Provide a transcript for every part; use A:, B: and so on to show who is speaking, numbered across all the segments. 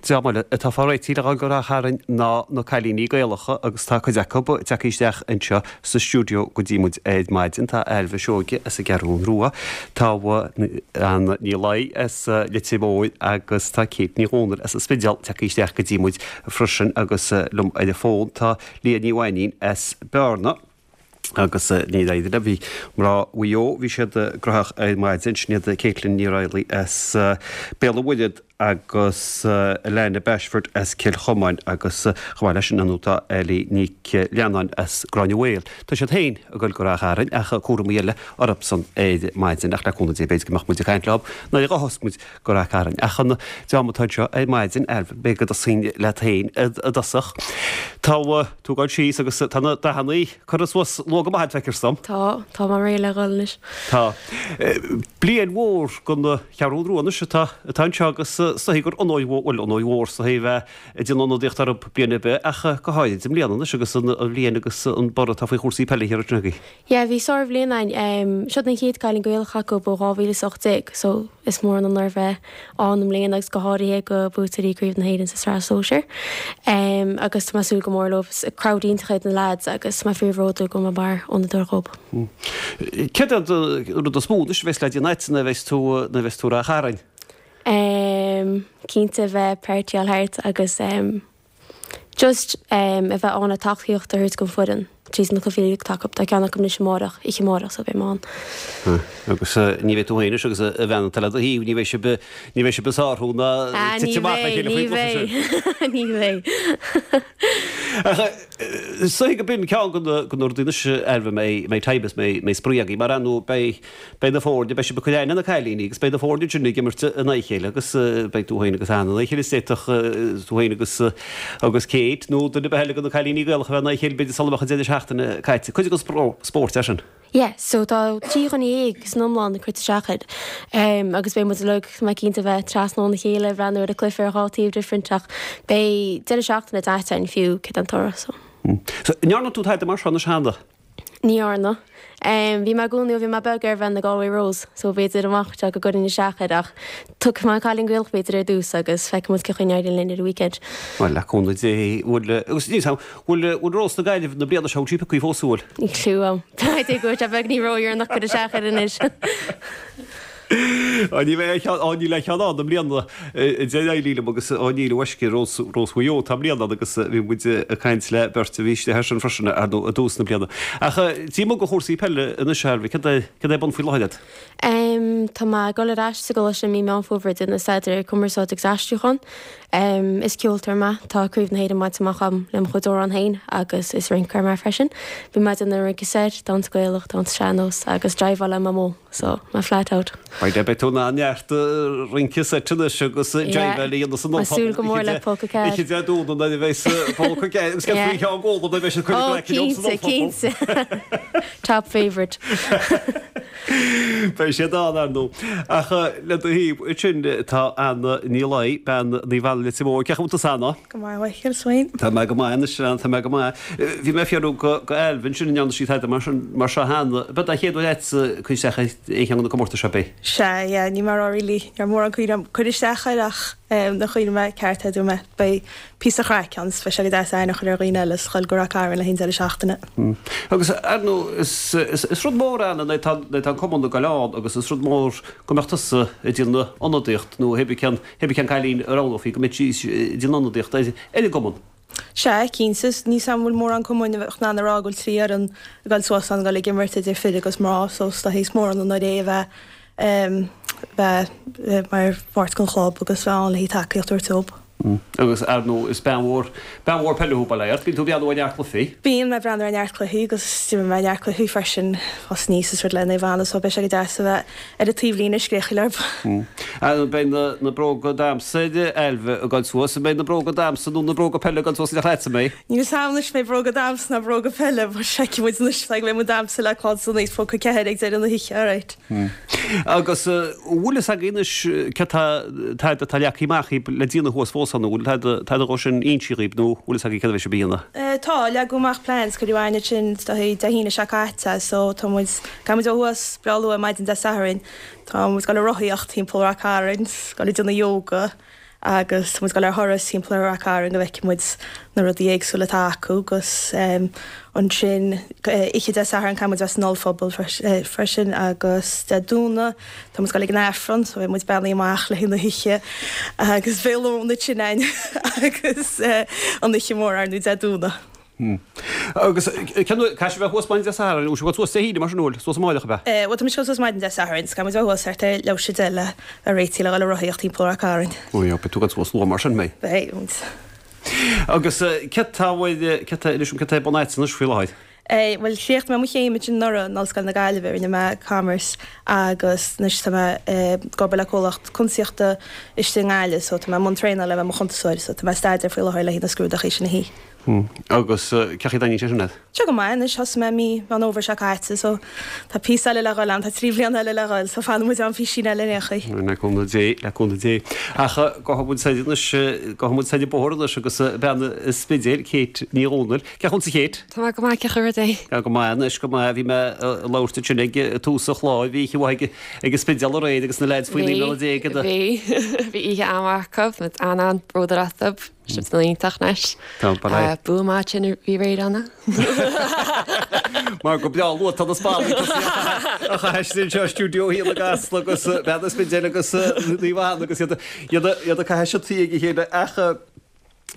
A: Dream eile atá fá réitigh le dhul go Ráth Chairn ná na cailíní Gaelacha agus tá cuid acu tagtha isteach anseo sa stiúideo go dtí muid ar maidin. Tá Ailbhe Seoige as an gCeathrú Rua, tá Anna Ní Laoi as Leitir Móir agus tá Kate Ní Dhomhnaill as an Spidéal tagtha isteach go dtí muid freisin agus liom ar an bhfón tá Leah Ní Mhainín as Bearna. Agus ní raibh idir, bhí mná Mhaigh Eo, bhí siad graitheach ar maidin, sin iad Caitlin Ní Raghallaigh as Béal an Mhuirthead agus Alana Bashford as Cill Chomáin agus chomh maith leis sin inniu tá Ellie Nic Leannáin as Gráinne Mhaol. Tá siad féin ag dul go Ráth Chairn ach cúramaí eile orthusan ar maidin ach le cúnamh Dé b'fhéidir go mbeadh muid ag caint leo nuair a ghabhfas muid go Ráth Chairn. Ach an dream atá anseo ar maidin, b'fhéidir go dtosóinn leat féin i dtosach. Tá tú ag dul síos agus tá na dathannaí curtha suas luath go maith feictear dom.
B: Tá, tá mé réidh le dhul anois.
A: Tá. Bliain mhór don Cheathrú Rua anois atá atá anseo agus is dóichí gur onóir mhór, bhuel onóir mhór is dóichí a bheith ag déanamh ionadaíocht orthu bliain ar bith ach go háirid i mbliana anois agus an bhliain agus an borradh atá faoi chúrsaí peile thiar ansin agaibh.
B: Yeah, bhí sárbhliain againn. Seo an chéad cailín Gaelach acu ó 2018 so is mór an onóir bheith ann i mbliana agus go háirithe go buaiteoirí Craobh na hÉireann sa tSraith Sóisir. Agus tá mé ag súil go mór leo. Is crowd iontach iad na lads agus tá mé fíorbhródúil go bhfuil mé mar ionadóir dhób.
A: Céard é an rud is mó anois a bheas le déanamh agat nuair a bheas tú nuair a bheas tú i Ráth Chairn?
B: Cinnte bheith partyáil thart agus Just a bheith ann le tacaíocht a thabhairt don foireann tríd na cluichí atá acu. Tá ceann acu anois amárach, oíche amárach so beidh mé ann.
A: Agus ní bheidh tú féin anois agus an bhean atá le do thaobh, ní bheidh sibh, ní bheidh sibh ag sárú ná
B: Ah, ní
A: titim amach le
B: bheidh,
A: chéile
B: ní
A: faoin gcluiche sin.
B: bheidh, ní bheidh.
A: Ach is dóichí go b'in ceann de na, de na rudaí anois Ailbhe, a mbeidh, mbeidh time is mbeidh, mbeidh spraoi agaibh mar ar ndóigh beidh, Beidh na foirne, beidh sibh ag cur aithne ar na cailíní agus beidh na foirne ansin ag imirt in aghaidh a chéile agus beidh tú féin agus Anna in aghaidh a chéile is d'fhéadfadh tú féin agus agus Kate nó duine ar bith eile de na cailíní Gaelacha a bheith in aghaidh a chéile b'fhéidir sula mbeadh an deireadh seachtaine caite. Cuid den spórt é sin.
B: Yeah, so tá 13 dhuine san iomlán ag cur isteach air agus beidh muid uilig, tá mé cinnte, a bheith trasna óna chéile ag breathnú ar an cluiche ar dhá taobh different ach beidh deireadh seachtaine deas againn fiú céard é an toradh
A: so. So, an ndearna tú tada mar seo anois cheana?
B: Ní dhearna. Bhí mé i gcónaí ó bhí mé beag ar bheith ina Galway Rose, so b'fhéidir amach anseo go gcuirfinn isteach air ach tiocfaidh mé an cailín Gaelach b'fhéidir ar dtús agus feicfidh muid cén chaoi a n-éiríonn linn ar an weekend.
A: Bhuel, le cúnamh Dé, bhfuil, agus níl 's a'm, bhfuil, bhfuil Rós na Gaillimhe na bliana seo, bhfuil sí pioctha fós, bhfuil?
B: Níl clue a'm. B'fhéidir go bhfuil sé beagní ródheireanach cur isteach air anois.
A: Á, ní bheidh aon cheann, á, níl aon cheann ann i mbliana, a deir Eileen liom agus á, níl, a mhaisce, Rós, Rós Mhaigh Eo atá i mbliana ann agus bhí muid ag caint le beirt a bhí istigh air sin freisin, ar ndóigh, i dtús na bliana. Ach taobh amuigh de chúrsaí peile anois, a Ailbhe, céard é, céard é ar bun faoi láthair agat?
B: Tá mé ag dul ar ais sa gcoláiste i mí Meán Fómhair ag déanamh staidéar ar cumarsáid agus aistriúchán. Is ceoltóir mé, tá Craobh na hÉireann bainte amach agam le mo chuid amhrán féin agus is rinceoir mé freisin. Bíonn mé ag déanamh rince seit, damhsa Gaelach, damhsa sean-nós agus driveáil le Mamó. So, mé flat out.
A: Beidh beidh tú in ann neart rince seit anois agus driveáil a dhéanamh san
B: Tá súil go mór le póca ceart.
A: Oíche Dé Domhnaigh nuair a bheidh póca ceart agus céard faoi Sheán Gólan nuair a bheidh siad cuid
B: Oh, cinnte, cinnte. Top favourite.
A: Beidh siad ann, ar ndóigh. Ach le do thaobh ansin tá Anna Ní Laoi, bean Naomh Anna Leitir Móir. Cén chaoi a bhfuil tusa, Anna?
C: Go maith, a Mhichíl, 's féin?
A: Tá mé go maith anois, a Anna, tá mé go maith. Bhí mé ag fiafraí go Ailbhe ansin an ndearna sí tada mar sin, mar seo cheana. Ab é an chéad uair agatsa cur isteach ar aon cheann de na comórtais seo, ab é?
C: Sea, yeah, ní mar really, ní raibh mórán cuimhne agam cur isteach air ach nuair a chuimhnigh mé ceart air dúirt mé beidh píosa craic ann is beidh sé go deas aithne a chur ar dhaoine eile is dhul go Ráth Cairn le haghaidh an deireadh seachtaine.
A: Agus ar ndóigh is, is, is rud mór Anna nuair atá, nuair atá an cumann ag goil ann agus is rud mór go mbeadh tusa ag déanamh ionadaíocht nó hé bí cén, hé bí cén cailín a roghnófaí go mbeadh sí ag déanamh ionadaíocht ar, ar an gcumann.
C: Sea, cinnte. Níl 's a'm an bhfuil mórán cumainn a bheadh in ann a rá go bhfuil 3 fhoireann ag dul suas ann ag dul ag imirt idir fir agus mná so is dóichí is mór an onóir é a bheith bheith mar pháirt den chlub agus bheith ann le haghaidh tacaíocht a thabhairt dóibh.
A: Agus ar ndóigh is bean mhór, bean mhór peile thú, bail ó Dhia ort. Bíonn tú ag breathnú ar neart cluichí.
C: Bíonn mé ag breathnú ar neart cluichí agus d'imir mé neart cluichí freisin fás aníos is rud le Naomh Anna so beidh sé go deas a bheith ar an taobhlíne ag scréachaíl orthu.
A: An mbeidh na bróga damhsa ar Ailbhe ag dul suas? An mbeidh na bróga damhsa nó na bróga peile ag dul suas in éineacht leatsa, an mbeidh?
C: Níl 'fhios a'm anois mbeidh bróga damhsa ná bróga peile but feicfidh muid anois go mbeidh muid damhsa le clann san aois póca ceathair ag deireadh na hoíche, alright.
A: Agus an bhfuil fhios agaibh anois céard tá tada atá leagtha amach dhaoibh le déanamh thuas fós ann, an bhfuil tada tada dhó sin inste dhaoibh nó bhfuil fhios agaibh céard a bheidh sibh a dhéanamh?
C: Tá, leagadh amach plans, cuireadh aithne ansin is dóichí Dé hAoine seo caite so tá muid, Gabhfaidh muid ó thuas breá luath maidin Dé Sathairn. Tá muid ag dul ag rothaíocht timpeall Ráth Cairn, ag dul ag déanamh yoga. Agus tá muid ag dul ar thuras timpeall ar Rath Cairn go bhfeicfidh muid na rudaí éagsúla atá acu agus ansin oíche Dé Sathairn caithfidh muid a bheith san ollphuball freisin agus Dé Domhnaigh tá muid ag dul ag an Aifreann so beidh muid beannaithe amach le haghaidh na hoíche agus beidh lón ansin againn agus an oíche mhór ar ndóigh Dé Domhnaigh.
A: Agus cén uair, caithfidh sibh a bheith thuas maidin Dé Sathairn, bhfuil sibh ag dul suas Dé hAoine mar sin, bhfuil, suas amáireach ab
C: ea? Bhuel tá muid ag dul suas maidin Dé Sathairn, so caithfidh muid a bheith thuas thart ar leathuair tar éis a 10 le bheith réitithe le dhul ag rothaíocht timpeall Ráth Cairn.
A: Ó yeah, beidh tú ag dul suas luath mar sin, mbeidh?
C: Beidh, muid.
A: Agus céard tá, céard tá, inis dom céard tá ar bun agat anois faoi láthair?
C: Bhuel, chríochnaigh mé mo chéim ansin anuraidh in Ollscoil na Gaillimhe, rinne mé Commerce agus anois tá mé ag obair le comhlacht cuntasaíochta istigh i nGaillimh so tá mé i mbun traenála le bheith i mo chuntasóir so tá mé ag staidéar faoi láthair le haghaidh na scrúdachaí sin a shuí.
A: Agus cén chaoi a dtaitníonn sé sin leat?
C: Tá go maith anois, thosaigh mé mí Mheán Fhómhair seo caite so tá píosa eile le dhul ann, tá 3 bhliana eile le dhul so fanfaidh muid ann písín eile ar aon chaoi.
A: Le cúnamh Dé, le cúnamh Dé. Ach gabhfaidh muid soir anois, gabhfaidh muid soir an bóthar anois agus bean an Spidéil, Kate Ní Dhomhnaill. Cén chaoi a bhfuil tusa a Kate?
B: Tá mé go maith, cén chaoi ar rud
A: é? Go maith anois, go maith. Bhí mé ag labhairt ansin ag tús an chláir, bhí oíche mhaith ag an Spidéal aréir agus na leaids faoi 19 mbliana
B: déag. Bhí, bhí oíche an-mhaith acu, muid an-an-bhródúil astu. Siad san iontach anois. Bua maith sin a bhí aréir ann.
A: Mar go breá luath tá na spallanna tosaithe a chaitheamh anseo i stiúideo a haon i gCasla agus bean an Spidéil agus Naomh Anna agus iad iad ag caitheamh siotaí ag a chéile ach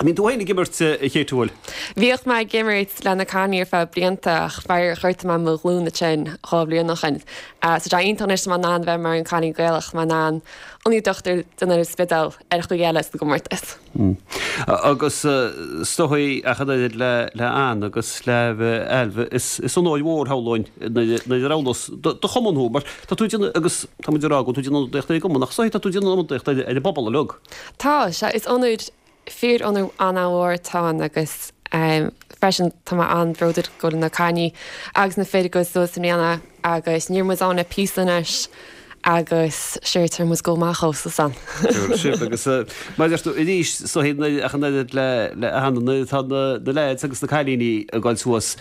A: bíonn tú féin ag imirt a Kate an bhfuil?
B: Bhíodh mé ag imirt le na cailíní ar feadh blianta ach faraor ghortaigh mé mo ghlúin ansin 2 bhliain ó shin. So tá sé iontach anois tá mé in ann bheith mar an cailín Gaelach, tá mé in ann ionadaíocht a dhéanamh ar an Spidéal ar chaoi eile sa gcomórtas.
A: Agus is dóigh ach an oiread le Ann agus le Ailbhe, is onóir mhór shamhlóinn nuair a roghnós do chumann thú, mar tá tú ag déanamh, agus tá muid ag rá go bhfuil tú ag déanamh ionadaíocht ar an gcumann, ach is dóigh tá tú ag déanamh ionadaíocht ar an bpobal uilig.
B: Tá, sea, is onóir, fíor-onóir an-mhór atá ann agus freisin tá mé an-bhródúil go bhfuil na cailíní agus na fir ag dul suas i mbliana agus ní raibh muid ann le píosa anois agus sure tabharfaidh muid go maith dhóibh suas ann.
A: Tabharfaidh sibh agus mar a deir tú arís is dóigh ach an oiread le le Anna nuair atá na na leaids agus na cailíní ag dul suas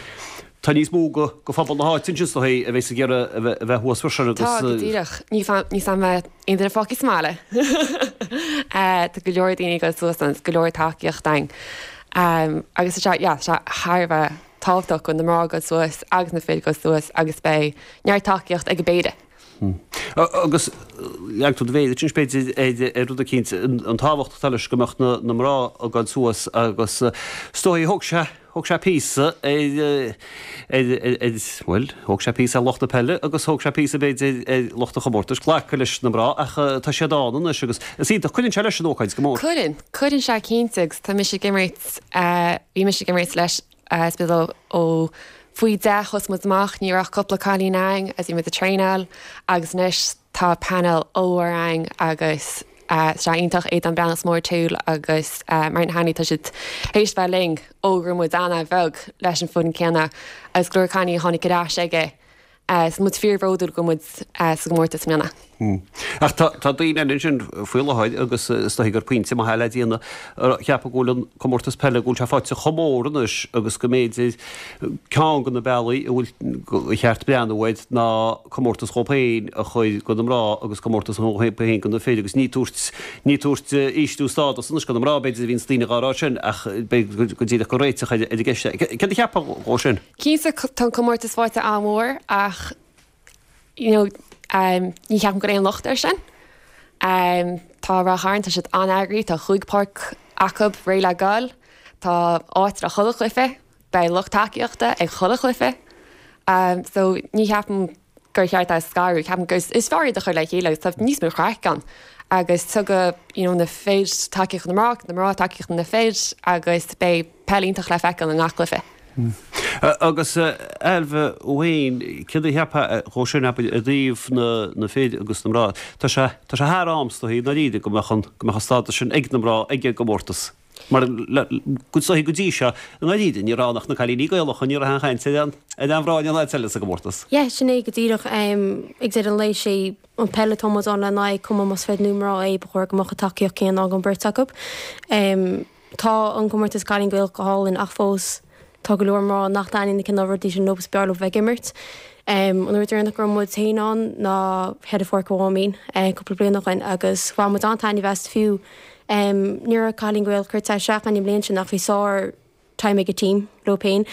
A: tá níos mó go go phobal na háite ansin is dóigh a bheas ag iarraidh a bheith a bheith thuas freisin
B: agus Tá go díreach. Ní ní fan mbeidh aon duine fágtha sa mbaile. Tá go leor daoine ag dul suas ann, go leor tacaíocht ann. Agus tá sé yeah tá sé thar a bheith tábhachtach go na mná ag dul suas agus na fir ag dul suas agus beidh neart tacaíocht ag an bpéire.
A: Agus leag tú do mhéar ansin b'fhéidir ar rud eicínt, an tábhacht atá leis go mbeadh na mná ag dul suas agus is dóigh thóg sé, thóg sé píosa ar, ar, ar, bhuel, thóg sé píosa ar lucht na peile agus thóg sé píosa b'fhéidir ar lucht an chomórtais glacadh leis na mná ach tá siad ann anois agus is iontach, cuireann sé leis an ócáid go mór.
B: Cuireann, cuireann sé cinnte agus tá mise ag imirt, bhí mise ag imirt leis Spidéal ó faoi 10 thosaigh muid amach, ní raibh ach cúpla cailín ann agus bhí muid ag traenáil agus anois tá painéal ollmhór ann agus tá sé iontach Aodán Breathnach Mór Toole agus Martin Hanley tá siad théis bheith linn ó go raibh muid an-bheag leis an foireann céanna agus go leor cailíní a tháinig ar ais aige Tá muid fíorbhródúil go bhfuil muid sa gcomórtas i mbliana.
A: Ach tá daoine eile ansin faoi láthair agus is dóigh gur pointe maith é le déanamh ag ceapadh go bhfuil an comórtas peile, go bhfuil sé faighte chomh mór anois agus go mb'fhéidir ceann de na bealaí a bhfuil gur cheart breathnú air ná comórtas dhóibh féin a chur do na mná agus comórtas dhóibh féin do na fir agus ní tabhairt ní tabhairt ísliú stádas anois do na mná b'fhéidir a bhíonns daoine dhá rá sin ach b'fhéidir go díreach gur réiteach ar an gceist é. Céard a cheapfá dhó sin?
B: Cinnte tá an comórtas faighte an-mhór ach you know ní cheapaim go bhfuil aon locht air sin. Tá Ráth Chairn, tá siad an-eagraithe, tá chúig páirc acu réidh le goil, tá áit le chuile chluiche, beidh lucht tacaíochta ag chuile chluiche. So ní cheapaim gur cheart é a scaradh, ceapaim gur is fearr iad a chur le chéile agus tá níos mó craic ann agus tugadh you know na fir tacaíocht na mná, na mná tacaíocht na fir agus beidh peil iontach le feiceáil i ngach cluiche.
A: Agus Ailbhe thú féin, céard a cheapfá dhó sin, abair, i dtaobh na fir agus na mná? Tá sé, tá sé thar am, is dóigh, i ndáiríre, go mbeadh an, go mbeadh an stádas sin ag na mná ag an gcomórtas. Mar go is dóigh go dtí seo, i ndáiríre, ní raibh ann ach na cailíní Gaelacha, ní raibh aon chaint ar aon, ar aon mhná in aon áit eile sa gcomórtas.
B: Yeah, sin é go díreach. Ag deireadh an lae, sé an peil atá muid ann lena aghaidh, cuma más fir nó mná é, ba chóir go mbeadh an tacaíocht céanna ag an beirt acu. Tá an comórtas Cailín Gaelach go hálainn ach fós tá go leor mná nach dtaitníonn na cineál rudaí sin leo is b'fhearr leo bheith ag imirt. An uair deireanach go raibh muid féin ann ná ar Pháirc an Mháimín cúpla bliain ó shin agus bhain muid an-taitneamh as fiú. Ní raibh cailín Gaelach curtha isteach againn an bhliain sin ach bhí sár time ag an team leo féin.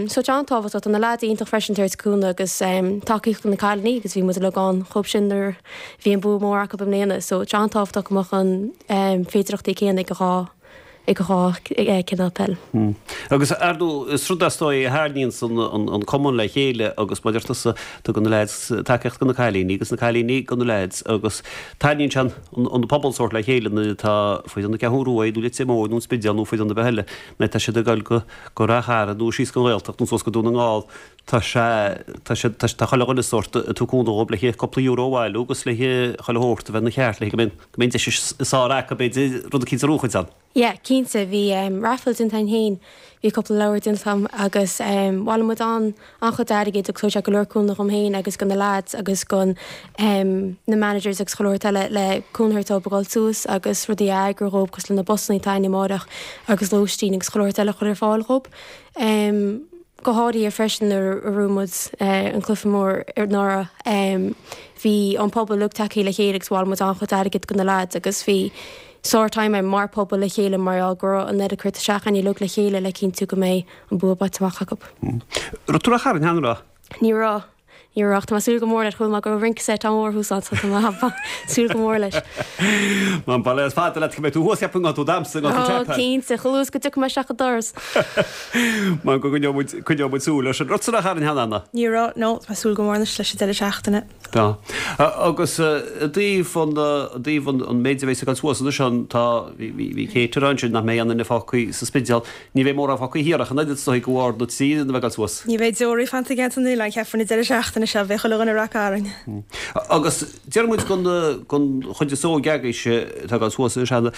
B: So tá an-tábhachtach. Tá na leaids iontach freisin tabhairt cúnamh agus tacaíocht do na cailíní agus bhí muid uilig ann dhóibh sin nuair a bhí an bua mór acu i mbliana. So tá an-tábhachtach go mbeadh an féidireachtaí céanna ag an dhá ag an dhá cineál peil.
A: Agus ar ndóigh is rud é is dóigh a tharraingíonns an cumann le chéile agus mar a deir tusa tugann na leaids tacaíocht do na cailíní agus na cailíní do na leaids agus tarraingíonn sé an pobal sórt le chéile nuair atá foireann na Ceathrún Rua nó Leitir Móir nó an Spidéal nó foireann ar bith eile nuair atá siad ag dul go go Rath Chairn nó síos go an Ghaeltacht nó suas go Dún na nGall tá sé tá sé tá chuile dhuine sórt ag tabhairt cúnamh dhóibh le cúpla euro a bhailiú agus le chuile shórt a bheith ina cheart le go mbeidh go mbeidh an deis is fearr acu b'fhéidir rud eicínt a bhuachaint ann.
B: Yeah, cinnte, bhí raffle déanta againn féin, bhí cúpla leabhar déanta agam agus bhailigh muid an an-chuid airgid agus thug sé go leor cúnamh dhom féin agus do na lads agus do na managers agus chuile shórt eile le cúnamh a thabhairt dóibh a dhul suas agus rudaí a eagrú dhóibh cosúil le na busanna atá againn amáireach agus lóistín agus chuile shórt eile a chur ar fáil dhóibh. Go háirithe freisin nuair a bhuaigh muid an cluiche mór anuraidh, bhí an pobal uilig tagtha le chéile agus bhailigh muid an-chuid airgid do na lads agus bhí sár time againn mar pobal le chéile mar gheall go raibh an oiread curtha isteach againn uilig le chéile le cinntiú go mbeidh an bua bainte amach acu.
A: Raibh tú i Ráth Chairn cheana, raibh?
B: Ní raibh. Ní raibh ach tá mé ag súil go mór leis. Chuala mé go raibh rince seit an-mhór thuas ann so tá mé ag súil go mór leis.
A: Má bail is fada leat go mbeidh tú thuas cheapfainn go tú damhsa go tú
B: Ó cinnte, chomh luath is go dtiocfaidh mé isteach an doras.
A: Mar go gcoinneoidh muid coinneoidh muid súil air sin. Raibh tusa i Ráth Chairn cheana, Anna?
C: Ní raibh, no, tá mé ag súil go mór anois leis an deireadh seachtaine.
A: Tá. Agus i dtaobh an i dtaobh an an méid a bheas ag dul suas anois ann tá bhí bhí Kate ag rá ansin nach mbeidh aon duine fágtha sa Spidéal Ní bheidh mórán fágtha thiar ach an oiread is dóigh de bharr na dtrí fhoireann a bheith ag dul suas.
C: Ní bheidh deoraí fanta i gceantar na n-oileán, cheapfainn, an deireadh seachtaine seo. Beidh chuile dhuine i Rath Cairn.
A: Agus deir muid don chuid is óige agaibhse atá ag dul suas anois, an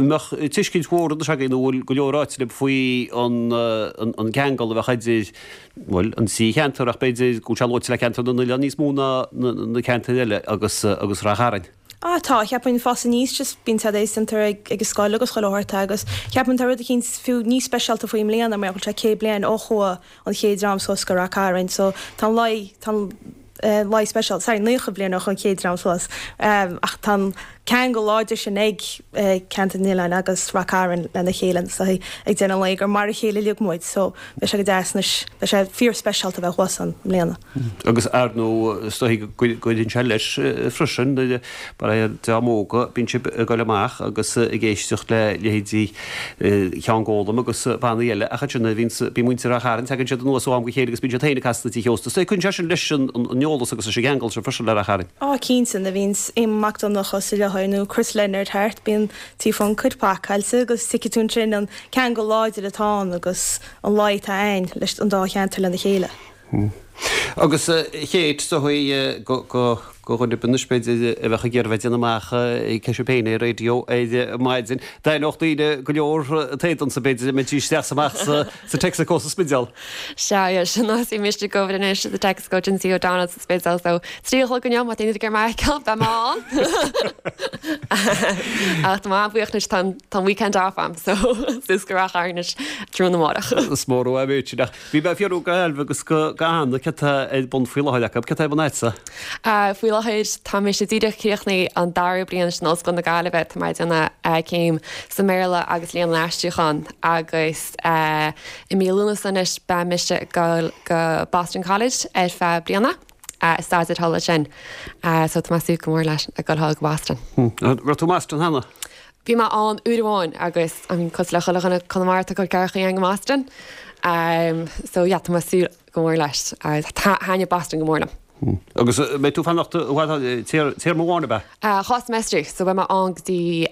A: mbeadh tuiscint mhór anois agaibh nó an bhfuil go leor ráite libh faoi an gceangal a bheadh idir, bhuel, an trí cheantar ach b'fhéidir go bhfuil sé luaite le ceantar na n-oileán níos mó ná na ceantair eile agus Rath Chairn.
C: Ah tá, cheapfainn fás aníos just bíonn siad déanta ag an scoil agus chuile shórt agus cheapfainn tá rud eicínt fiú níos speisialta faoi i mbliana mar go bhfuil sé 100 bliain ó chuaigh an chéad dream suas go Rath Cairn so tá an lá tá an lá speisialta, sorry 90 bliain ó chuaigh an chéad dream suas ach tá an ceangal láidir sin ag Ceantar na nOileán agus Rath Cairn lena chéile so ag deireadh an lae gur mar a chéile uilig muid so beidh sé go deas anois beidh sé fíor speisialta bheith thuas ann i mbliana.
A: Agus ar ndóigh, is dóigh go gcuireann sé leis freisin, nuair mar a dream óga, bíonn sibh ag dul amach agus ag éisteacht le leithéidí Sheán Gólam agus bannaí eile ach ansin nuair a bhíonns, bíonn muintir Ráth Chairn, tagann siad anuas ó am go chéile agus bíonn siad féin ag casadh na tithe ósta. Is dóigh cuireann sé sin leis an eolas agus leis an gceangal sin freisin le Ráth Chairn.
C: Á, cinnte, nuair a bhíonns Éamonn Mac Donncha sa láthair nó Chris Leonard thart, bíonn Tí Phluncaid pacáilte agus tuigfidh tú ansin an ceangal láidir atá ann agus an luí atá ann leis an dá cheantar lena chéile.
A: Agus a Kate, is dóigh go dhuine ar bith anois b'fhéidir a bheadh ag iarraidh bheith ag déanamh amach cé sibh féin ar raidió ar maidin. D'aithneodh daoine go leor t'éadan sa b'fhéidir a mbeidís isteach is amach sa Texaco sa Spidéal.
B: Sea, yeah, sin nó bhí mise ag obair anois sa Texaco Jimsy O'Donnell sa Spidéal so 3 a chlog inniu má tá aon duine ag iarraidh mé a fheiceáil beidh mé ann. Ach tá mé an-bhuíoch anois tá an weekend off a'm so suas go Ráth Chairn anois tráthnóna amárach.
A: Is mór uaim é sin ach Bhí mé ag fiafraí d'Ailbhe agus d'Anna céard atá ar bun faoi láthair acu. Céard atá ar bun agatsa?
B: Faoi láthair tá mise díreach críochnaithe an dara bliain in Ollscoil na Gaillimhe. Tá mé ag déanamh céim sa mBéarla agus Léann an Aistriúcháin agus i mí Lúnasa anois beidh mise ag dul go Boston College ar feadh bliana ag staidéar thall ansin. So tá mé ag súil go mór leis ag dul thall go Boston.
A: Raibh tú i mBoston cheana?
B: Bhí mé ann uair amháin agus I mean cosúil le chuile dhuine Conamara atá ag dul ceathracha go mBoston. So yeah tá mé ag súil go mór leis. Thaitnigh Boston go mór
A: liom. Agus beidh tú ag fanacht i bhfad téarma amháin ab
B: ea? Dhá semester so beidh mé ann go dtí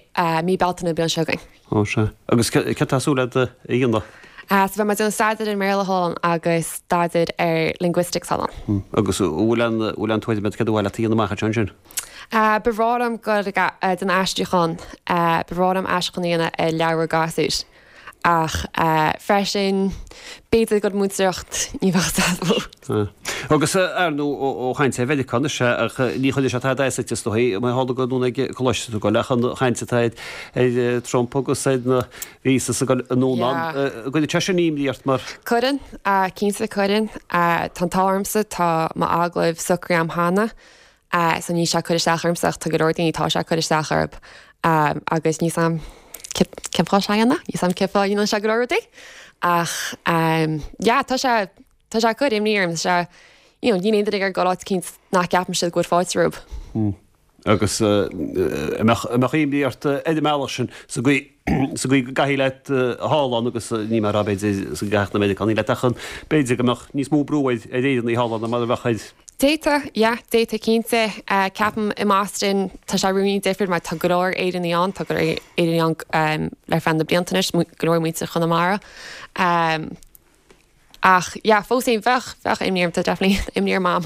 B: mí Bealtaine an bhliain seo chugainn.
A: Ó sea. Agus céard tá súil agat a dhéanamh?
B: So beidh mé ag déanamh staidéar ar an mBéarla thall ann agus staidéar ar linguistics thall
A: ann. Agus an bhfuil aon bhfuil aon tuairim agat céard ba mhaith leat a dhéanamh amach ansin?
B: Ba bhreá liom dul ag déanamh aistriúchán, ba bhreá liom aistriúchán a dhéanamh ar leabhar gasúir. Ach freisin, b'fhéidir ag múinteoireacht, ní bheadh
A: sé. Agus ar ndóigh ó chaint ar Mheiriceá anois, ach ní chuirfidh sé tada as duit is dóigh, mar tharla gur anonn ag coláiste tú ag dul, ach an chaint atá ar Trump agus ar na visas ag dul anonn ann, an gcuireann sé sin imní ort mar?
B: Cuireann, cinnte cuireann. Tá an t-ádh ormsa, tá m'agallamh socraithe agam cheana. So níl sé ag cur isteach ormsa ach tá go leor daoine atá sé ag cur isteach orthu. Agus níl 's a'm cén fáth sé a dhéanamh, níl 's a'm cén fáth a dhéanann sé go leor rudaí. Ach yeah, tá sé, tá sé ag cur imní orm, tá sé, you know, níl aon duine ag iarraidh dul áit eicínt nach gceapann siad go bhfuil fáilte rompu.
A: Agus an mbeadh imní ort ar an mbealach sin sa gcaoi, sa gcaoi go gcaithfidh leat thall ann agus ní mar a b'fhéidir sa gcaithfeadh na Meiriceánaigh leat ach an b'fhéidir go mbeadh níos mó brú ar Éireannaigh thall ann ná mar a bheadh ar
B: D'fhéadfadh, yeah, d'fhéadfadh cinnte. Ceapaim i mBoston tá sé ruainnín difriúil mar tá go leor Éireannaigh ann, tá go leor Éireannaigh ann ar feadh na blianta anois, go leor muintir Chonamara. Ach yeah, fós féin, bheadh, bheadh imní orm, tá definitely imní ar Mam.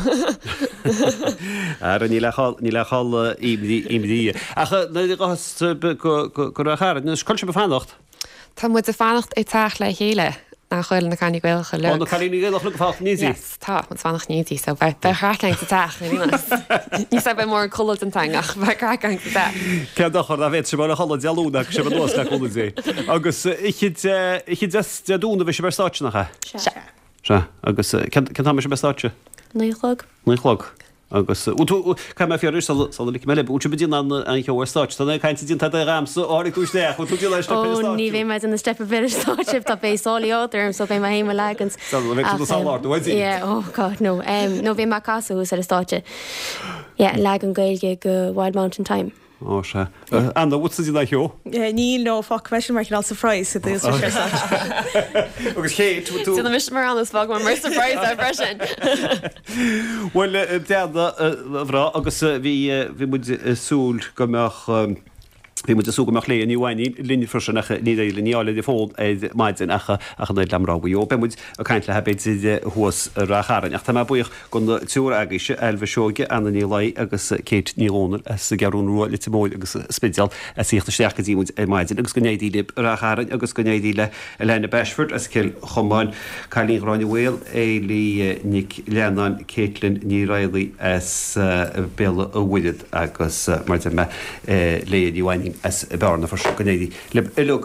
A: Ara níl ach níl ach imní, imní. Ach nuair a ghabhfas sibh go, go, go Ráth Chairn, anois, cá bhfuil sibh ag fanacht?
B: Tá muid ag fanacht i teach le chéile, nach bhfuil na cailíní Gaelacha
A: uilig. Ó, na cailíní Gaelacha uilig ag fanacht in éindí?
B: Yes, tá, muid ag fanacht in éindí, so beidh, beidh craic againn sa teach, ní níos beidh mórán codladh déanta againn ach beidh craic againn sa teach.
A: Cén dochar dá bhféadfadh sibh a chodladh Dé Luain agus sibh anuas le cúnamh Dé. Agus oíche Dé, oíche Dé, Dé Domhnaigh a bheidh sibh ar stáitse, nach ea?
B: Sea.
A: Sea. Agus cén, cén t-am a bheidh sibh ar stáitse?
B: 9 a chlog.
A: 9 a chlog. Agus, bhfuil tú, caithfidh mé fiafraí sula, sula ligfidh mé libh, bhfuil sibh ag déanamh an, an cheol ar stáitse? Tá na caint déanta agat agamsa ó tháinig tú isteach, bhfuil tú ag déanamh an steip ar
B: an stáitse? Ó, ní bheidh mé ag déanamh steip ar bith ar an stáitse, tá beidh sálaí ard orm so beidh mé féin mo leagan.
A: Sula mbeidh tú na sála ard, uaidh.
B: Yeah, oh God, no. No, beidh mé ag casadh thuas ar an stáitse. Yeah, leagan Gaeilge de Wild Mountain Thyme.
A: Ó, sea. Anna, bhfuil tú ag déanamh an cheo?
C: Níl, no, fágfaidh mé sin mar chineál surprise go dtí an
A: stáitse. Agus Kate, bhfuil tú.
B: Déanfaidh mise mar Anna is fágfaidh mé mar surprise é freisin.
A: Bhuel, Anna, a mhná, agus bhí, bhí muid ag súil go mbeadh, bhí muid ag súil go mbeadh Léah Ní Mhainín linn freisin ach níor éirigh linn í a fháil ar an bhfón ar maidin ach ach an oiread le mná Mhaigh Eo. Beidh muid ag caint léi b'fhéidir thuas i Ráth Chairn. Ach tá mé buíoch den triúr agaibhse, Ailbhe Seoige, Anna Ní Laoi agus Kate Ní Dhomhnaill as an gCeathrú Rua, Leitir Móir agus an Spidéal as a thíocht isteach go dtí muid ar maidin agus go n-éirí libh i Ráth Chairn agus go n-éirí le Alana Bashford as Cill Chomáin, Cailín Ghráinne Mhaol, Eilí Nic Leannáin, Caitlin Ní Raghallaigh as Béal an Mhuirthead agus mar a deir mé, Léah Ní Mhainín as Bearna freisin. Go n-éirí libh uilig.